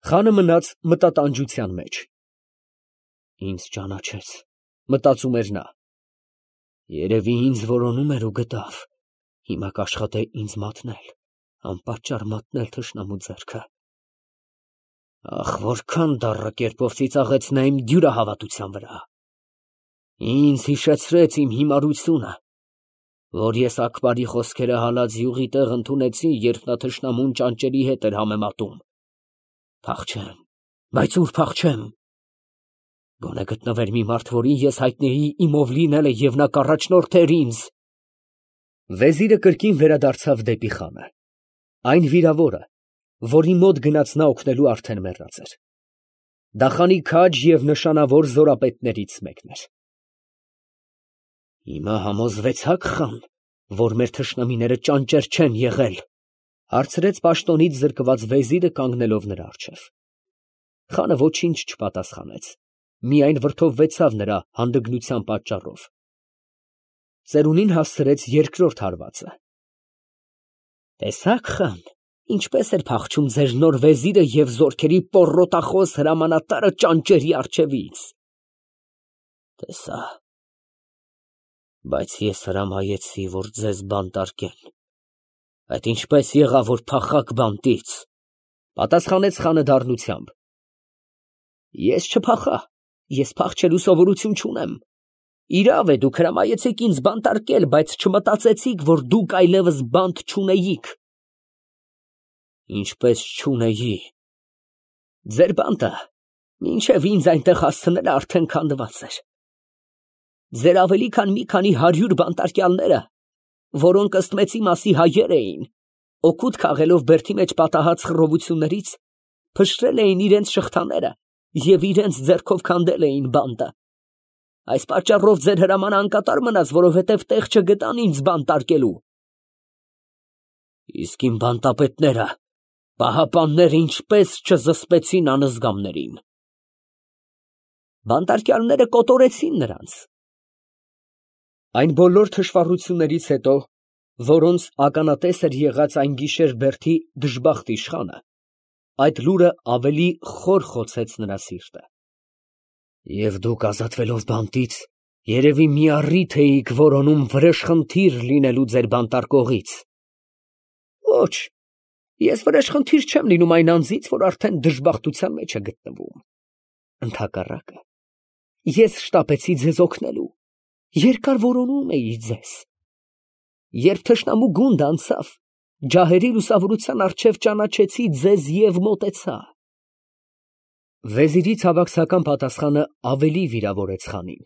Խանը մնաց մտատանջության մեջ։ Ինձ ճանաչեց, մտածում էր նա։ Երևի ինձ որոնում էր ու գտավ, հիմա կաշխատե ինձ մատնել, անպատճառ մատնել թշնամու ձեռքը։ Ախ, որքան դառը կերպով ծիծաղեցնա իմ դյուրահավատության վրա։ Ինձ հիշեցրեց իմ հիմարությունը, որ ես Աքբարի խոսքերը հալած յուղի տեղ ընդունեցի, երբ նա թշնամուն ճանճերի հետ էր համեմատում։ Փախչեմ, բայց ուր փախչեմ։ Գոնե գտնվեր մի մարդ, որին ես հայտնեի իմով լինելը, և նա կառաջնորդեր ինձ։ Վեզիրը կրկին վերադարձավ դեպի խանը։ Այն վիրավորը, որի մոտ գնաց նա օգնելու, արդեն մեռած էր։ Դա խանի քաջ և նշանավոր զորապետներից մեկն էր։ Հիմա համոզվեցա՞ք, խան, որ մեր թշնամիները ճանճեր չեն եղել, հարցրեց պաշտոնից զրկված վեզիրը, կանգնելով նրա առջև։ Խանը ոչինչ չպատասխանեց, միայն վրդովվեցավ նրա հանդգնության պատճառով։ Ծերունին հասցրեց երկրորդ հարվածը։ Տեսա՞ք, խան, ինչպես էր փախչում ձեր նոր վեզիրը և զորքերի պոռոտախոս հրամանատարը ճանճերի առջևից։ Տեսա, բայց ես հրամայեցի, որ ձեզ բանտարկեն։ Այդ ինչպես եղավ, որ փախաք բանտից, պատասխանեց խանը դառնությամբ։ Ես չփախա, ես փախչելու սովորություն չունեմ։ Իրավ է, դուք հրամայեցիք ինձ բանտարկել, բայց չմտածեցիք, որ դուք այլևս բանտ չունեիք։ Ինչպես չունեի։ Ձեր բանտը, մինչև ինձ այնտեղ հասցնելը արդեն քանդված էր։ Ձեր ավելի քան մի քանի 100 բանտարկյալները, որոնք ըստ մեծի մասի հայեր էին, օգուտ քաղելով բերդի մեջ պատահած խռովություններից, փշրել էին իրենց շղթաները և իրենց ձեռքով քանդել էին բանտը։ Այս պատճառով ձեր հրամանը անկատար մնաց, որովհետև տեղ չգտան ինձ բանտարկելու։ Իսկ իմ բանտապետները, պահապանները ինչպես չզսպեցին անզգամներին։ Բանտարկյալները կոտորեցին նրանց։ Այն բոլոր թշվառություններից հետո, որոնց ականատես էր եղած այն գիշեր բերդի դժբախտ իշխանը, այդ լուրը ավելի խոր խոցեց նրա սիրտը։ Եվ դուք ազատվելով բանտից, երևի մի առիթ էիք որոնում վրեժխնդիր լինելու ձեր բանտարկողից։ Ոչ, ես վրեժխնդիր չեմ լինում այն անձից, որ արդեն դժբախտության մեջ է գտնվում։ Ընդհակառակը, ես շտապեցի ձեզ օգնելու, երկար որոնում էի ձեզ։ Երբ թշնամու գունդը անցավ, ջահերի լուսավորության առջև ճանաչեցի ձեզ և մոտեցա։ Վեզիրի ցավակցական պատասխանը ավելի վիրավորեց խանին։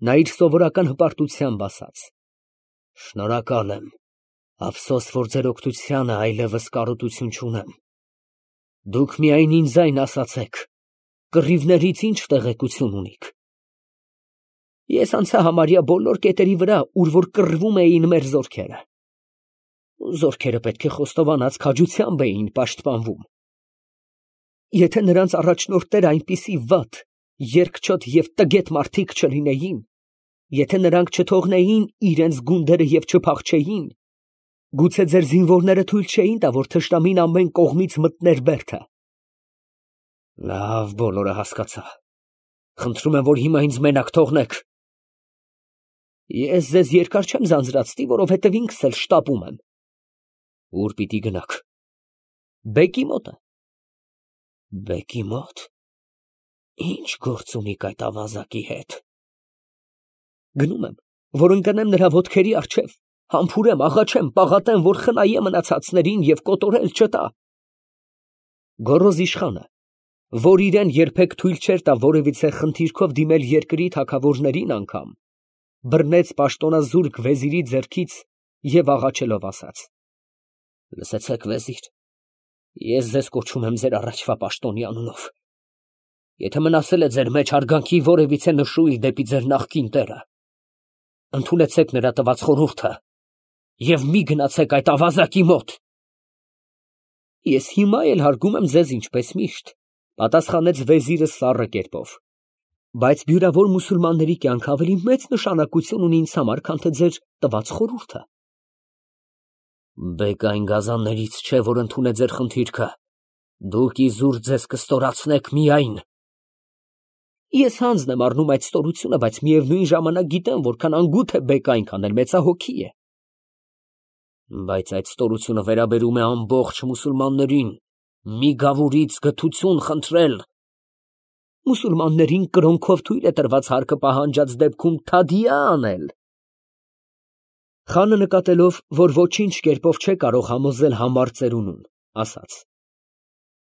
Նա իր սովորական հպարտությամբ ասաց. Շնորհակալ եմ, ափսոս, որ ձեր օգնությանը այլևս կարոտություն չունեմ։ Դուք միայն ինձ ասացեք, կռիվներից ինչ տեղեկություն ունիք։ Ես անցա համարյա բոլոր կետերի վրա, ուր որ կռվում էին մեր զորքերը։ Զորքերը պետք է խոստովանած քաջությամբ էին պաշտպանվում։ Եթե նրանց առաջնորդները այնպիսի վատ, երկչոտ և տգետ մարդիկ չլինեին, եթե նրանք չթողնեին իրենց գունդերը և չփախչեին, գուցե ձեր զինվորները թույլ չէին տա, որ թշնամին ամեն կողմից մտներ բերդը։ Լավ, բոլորը հասկացա։ Խնդրում եմ, որ հիմա ինձ մենակ թողնեք։ Ես ձեզ երկար չեմ ձանձրացնի, որովհետև ինքս էլ շտապում եմ։ Ուր պիտի գնաք։ Բեկի մոտը։ Բեկի մոտ։ Ինչ գործ ունիք այդ ավազակի հետ։ Գնում եմ, որ ընկնեմ նրա ոտքերի առջև, համբուրեմ, աղաչեմ, պաղատեմ, որ խնայե մնացածներին և կոտորել չտա։ Գոռոզ իշխանը, որ իրեն երբեք թույլ չէր տա որևիցե խնդիրքով դիմել երկրի թագավորներին անգամ, բռնեց պաշտոնազուրկ վեզիրի ձեռքից և աղաչելով ասաց. Լսեցեք, վեզիր, ես ձեզ կոչում եմ ձեր առաջվա պաշտոնի անունով։ Եթե մնացել է ձեր մեջ հարգանքի որևիցե նշույլ դեպի ձեր նախկին տերը, ընդունեցեք նրա տված խորհուրդը և մի գնացեք այդ ավազակի մոտ։ Ես հիմա էլ հարգում եմ ձեզ ինչպես միշտ, պատասխանեց վեզիրը սառը կերպով, բայց բյուրավոր մուսուլմանների կյանքը ավելի մեծ նշանակություն ունի ինձ համար, քան թե ձեր տված խորհուրդը։ Բեք այն գազաններից չէ, որ ընդունե ձեր խնդիրքը, Դուք իզուր ձեզ կստորացնեք միայն։ Ես հանձն եմ առնում այդ ստորությունը, բայց միևնույն ժամանակ գիտեմ, որքան անգութ է բեկը, այնքան էլ մեծահոգի է։ Բայց այդ ստորությունը վերաբերում է ամբողջ մուսուլմաններին, մի գավուրից գթություն խնդրել։ Մուսուլմաններին կրոնքով թույլ է տրված հարկը պահանջած դեպքում թադիա անել։ Խանը նկատելով, որ ոչինչ կերպով չէ կարող համոզել համառ ծերունուն, ասաց.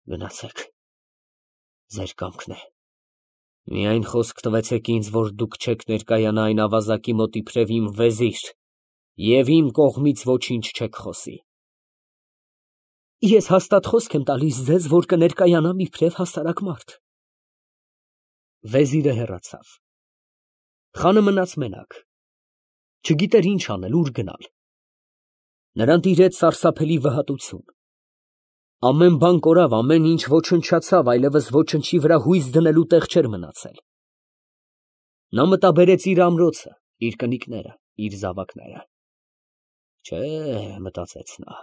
Գնացեք, ձեր կամքն է։ Միայն խոսք տվեցեք ինձ, որ դուք չեք ներկայանա այն ավազակի մոտ իբրև իմ վեզիր և իմ կողմից ոչինչ չեք խոսի։ Ես հաստատ խոսք եմ տալիս ձեզ, որ կներկայանամ իբրև հասարակ մարդ։ Վեզիրը հեռացավ։ Խանը մնաց մենակ։ Չգիտեր ինչ անել, ուր գնալ։ Նրան տիրեց սարսափելի վհատություն։ Ամեն բան կորավ, ամեն ինչ ոչնչացավ, այլևս ոչնչի վրա հույս դնելու տեղ չէր մնացել։ Նա մտաբերեց իր ամրոցը, իր կնիկները, իր զավակները։ Չէ, մտածեց նա,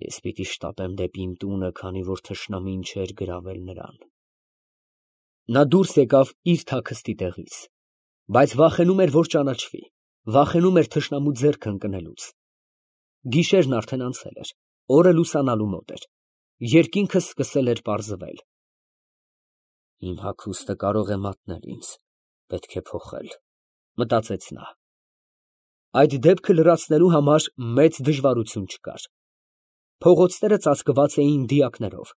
ես պիտի շտապեմ դեպի իմ տունը, քանի որ թշնամին չէր գրավել նրան։ Նա դուրս եկավ իր թաքստի տեղից, բայց վախենում էր, որ ճանաչվի, վախենում էր թշնամու ձեռքը ընկնելուց։ Գիշերն արդեն անցել էր, օրը լուսանալու մոտ էր, երկինքը սկսել էր պարզվել։ Իմ հագուստը կարող է մատնել ինձ, պետք է փոխել, մտածեց նա։ Այդ դեպքը լրացնելու համար մեծ դժվարություն չկար։ Փողոցները ծածկված էին դիակներով։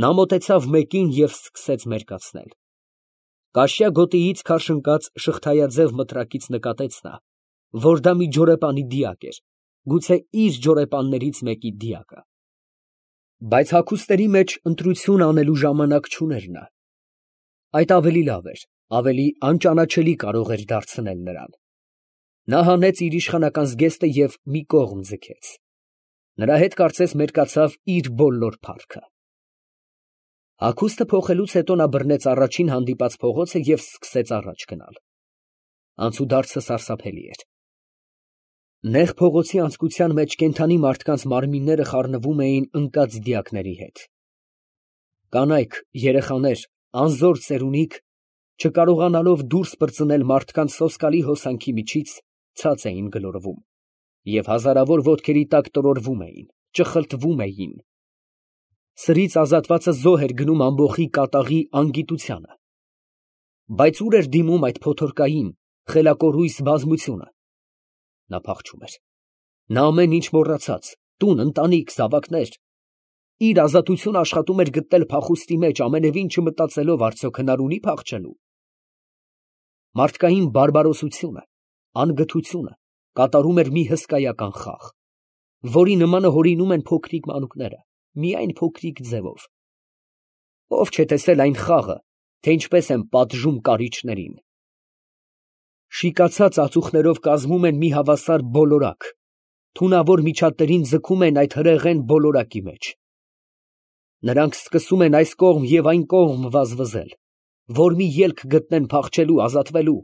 Նա մոտեցավ մեկին և սկսեց մերկացնել։ Կաշյա գոտիից քարշ ընկած շղթայաձև մտրակից նկատեց նա, որ դա մի ջորեպանի դիակ էր, գուցե իր ջորեպաններից մեկի դիակը։ Բայց հագուստների մեջ ընտրություն անելու ժամանակ չուներ նա։ Այդ ավելի լավ էր, ավելի անճանաչելի կարող էր դարձնել նրան։ Նա հանեց իր իշխանական զգեստը և մի կողմ ձգեց։ Նրա հետ կարծես մերկացավ իր բոլոր փառքը։ Հագուստը փոխելուց հետո նա բռնեց առաջին հանդիպած փողոցը և սկսեց առաջ գնալ։ Անցուդարձը սարսափելի էր։ Նեղ փողոցի անցքության մեջ կենդանի մարդկանց մարմինները խառնվում էին ընկած դիակների հետ։ Կանայք, երեխաներ, անզոր ծերունիկ, չկարողանալով դուրս պրծնել մարդկանց սոսկալի հոսանքի միջից, ցած էին գլորվում և հազարավոր ոտքերի տակ տրորվում էին, ճխլտվում էին։ Սրից ազատվածը զոհ էր գնում ամբոխի կատաղի անգիտությանը։ Բայց ուր էր դիմում այդ փոթորկային, խելակորույս բազմությունը։ Նա փախչում էր։ Նա ամեն ինչ մոռացած, տուն, ընտանիք, զավակներ, իր ազատությունը աշխատում էր գտնել փախուստի մեջ, ամենևին չմտածելով արդյոք հնար ունի փախչելու։ Մարդկային բարբարոսությունը, անգթությունը կատարում էր մի հսկայական խաղ, որի նմանը հորինում են փոքրիկ մանուկները, միայն փոքրիկ ձևով։ Ով չէ տեսել այն խաղը, թե ինչպես են պատժում կարիճներին։ Շիկացած ածուխներով կազմում են մի հավասար բոլորակ, թունավոր միջատներին ձգում են այդ հրեղեն բոլորակի մեջ։ Նրանք սկսում են այս կողմ և այն կողմ վազվզել, որ մի ելք գտնեն փախչելու, ազատվելու։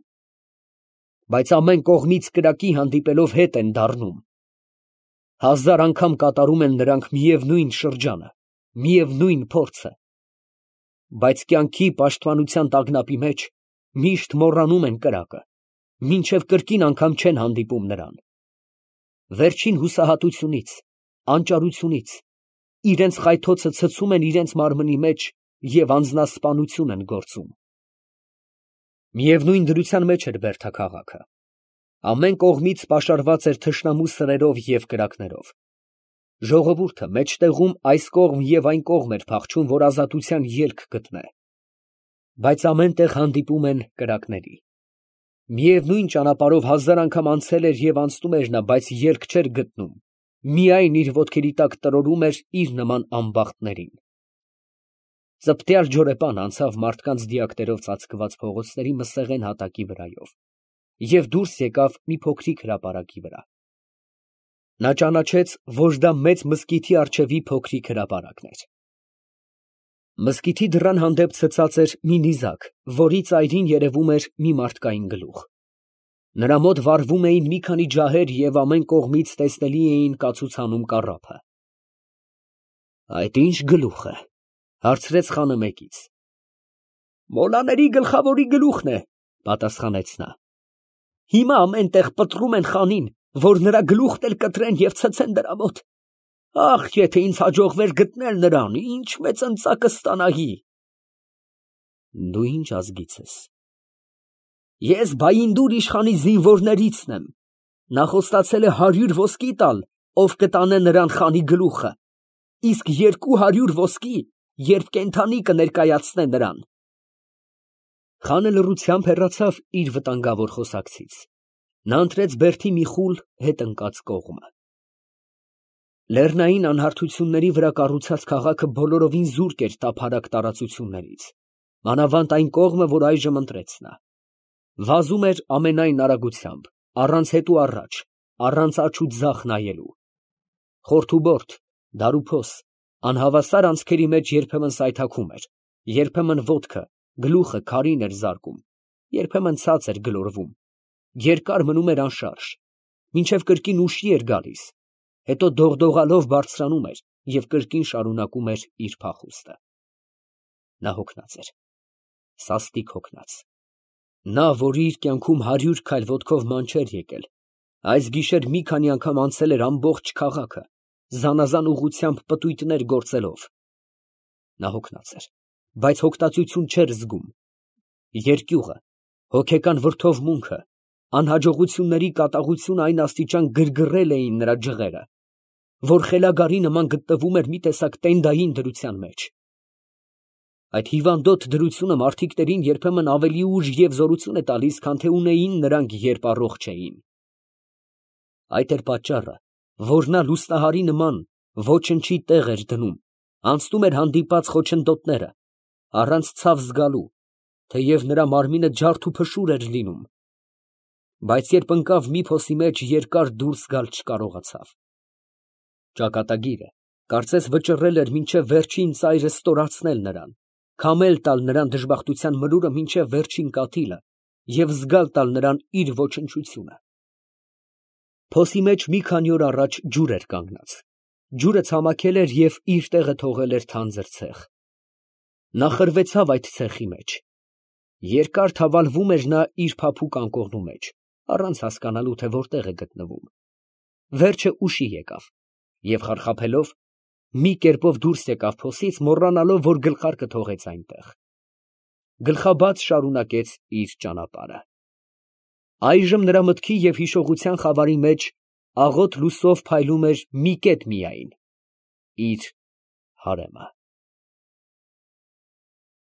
Բայց ամեն կողմից կրակի հանդիպելով հետ են դառնում։ Հազար անգամ կատարում են նրանք միևնույն շրջանը, միևնույն փորձը։ Բայց կյանքի պաշտպանության տագնապի մեջ միշտ մոռանում են կրակը, մինչև կրկին անգամ չեն հանդիպում նրան։ Վերջին հուսահատությունից, անճարությունից իրենց խայթոցը ցցում են իրենց մարմնի մեջ և անձնասպանություն են գործում։ Միևնույն դրության մեջ էր Բերդը քաղաքը։ Ամեն կողմից պաշարված էր թշնամու սրերով և կրակներով։ Ժողովուրդը մեջտեղում այս կողմ և այն կողմ էր փախչում, որ ազատության ելք գտնե։ Բայց ամեն տեղ հանդիպում են կրակների։ Միևնույն ճանապարհով հազար անգամ անցել էր և անցնում էր նա, բայց ելք չէր գտնում, միայն իր ոտքերի տակ տրորում էր իր նման անբախտներին։ Ծպտյալ ջորեպան անցավ մարդկանց դիակներով ծածկված փողոցների մսեղեն հատակի վրայով և դուրս եկավ մի փոքրիկ հրապարակի վրա։ Նա ճանաչեց, որ դա մեծ մզկիթի առջևի փոքրիկ հրապարակն էր։ Մզկիթի դռան հանդեպ ցցած էր մի նիզակ, որի ծայրին երևում էր մի մարդկային գլուխ։ Նրա մոտ վառվում էին մի քանի ջահեր և ամեն կողմից տեսնելի էին կացուցանում կառափը։ Այդ ինչ գլուխ է, հարցրեց խանը մեկից։ Մոլաների գլխավորի գլուխն է, պատասխանեց նա։ Հիմա ամեն տեղ պտռում են խանին, որ նրա գլուխն էլ կտրեն և ցցեն դրա մոտ։ Ախ, եթե ինձ հաջողվեր գտնել նրան, ինչ մեծ ընծա կստանայի։ Դու ինչ ազգից ես։ Ես Բայինդուր իշխանի զինվորներիցն եմ։ Նա խոստացել է 100 ոսկի տալ, ով կտանե նրան խանի գլուխը, իսկ 200 ոսկի, երբ կենդանի կներկայացնե նրան։ Խանը լռությամբ հեռացավ իր վտանգավոր խոսակցից։ Նա ընտրեց բերդի մի խուլ հետ ընկած կողմը։ Լեռնային անհարթությունների վրա կառուցած քաղաքը բոլորովին զուրկ էր տափարակ տարածություններից, մանավանդ այն կողմը, որ այժմ ընտրեց նա։ Վազում էր ամենայն արագությամբ, առանց հետ ու առաջ, առանց աջ ու ձախ նայելու։ Խորթուբորդ, դարուփոս, անհավասար անցքերի մեջ երբեմն սայթաքում էր, երբեմն ոտքը, գլուխը քարին էր զարկում, երբեմն ցած էր գլորվում, երկար մնում էր անշարժ, մինչև կրկին ուշի էր գալիս, հետո դողդողալով բարձրանում էր և կրկին շարունակում էր իր փախուստը։ Նա հոգնած էր, սաստիկ հոգնած։ Նա, որ իր կյանքում 100 քայլ ոտքով ման չէր եկել, այս գիշեր մի քանի անգամ անցել էր ամբողջ քաղաքը, զանազան ուղղությամբ պտույտներ գործելով։ Նա հոգնած էր, բայց հոգտածություն չէր զգում։ Երկյուղը, հոգեկան վրդովմունքը, անհաջողությունների կատաղությունը այն աստիճան գրգռել էին նրա ջղերը, որ խելագարի նման գտնվում էր մի տեսակ տենդային դրության մեջ։ Այդ հիվանդոտ դրությունը մարդիկներին երբեմն ավելի ուժ և զորություն է տալիս, քան թե ունեին նրանք, երբ առողջ էին։ Այդ էր պատճառը, որ նա լուսնահարի նման ոչնչի տեղ էր դնում, անցնում էր հանդիպած խոչընդոտները, առանց ցավ զգալու, թեև նրա մարմինը ջարդ ու փշուր էր լինում, բայց երբ ընկավ մի փոսի մեջ, երկար դուրս գալ չկարողացավ։ Ճակատագիրը կարծես վճռել էր մինչև վերջին ծայրը ստորացնել նրան, քամել տալ նրան դժբախտության մրուրը մինչև վերջին կաթիլը և զգալ տալ նրան իր ոչնչությունը։ Փոսի մեջ մի քանի օր առաջ ջուր էր կանգնած, ջուրը ցամաքել էր և իր տեղը թողել էր թանձր ցեխ։ Նա խրվեցավ այդ ցեխի մեջ։ Երկար թավալվում էր նա իր փափուկ անկողնու մեջ, առանց հասկանալու, թե որտեղ է գտնվում։ Վերջը ուշի եկավ և խարխափելով մի կերպով դուրս եկավ փոսից, մոռանալով, որ գլխարկը թողեց այնտեղ։ Գլխաբաց շարունակեց իր ճանապարհը։ Այժմ նրա մտքի և հիշողության խավարի մեջ աղոտ լույսով փայլում էր մի կետ միայն՝ իր հարեմը։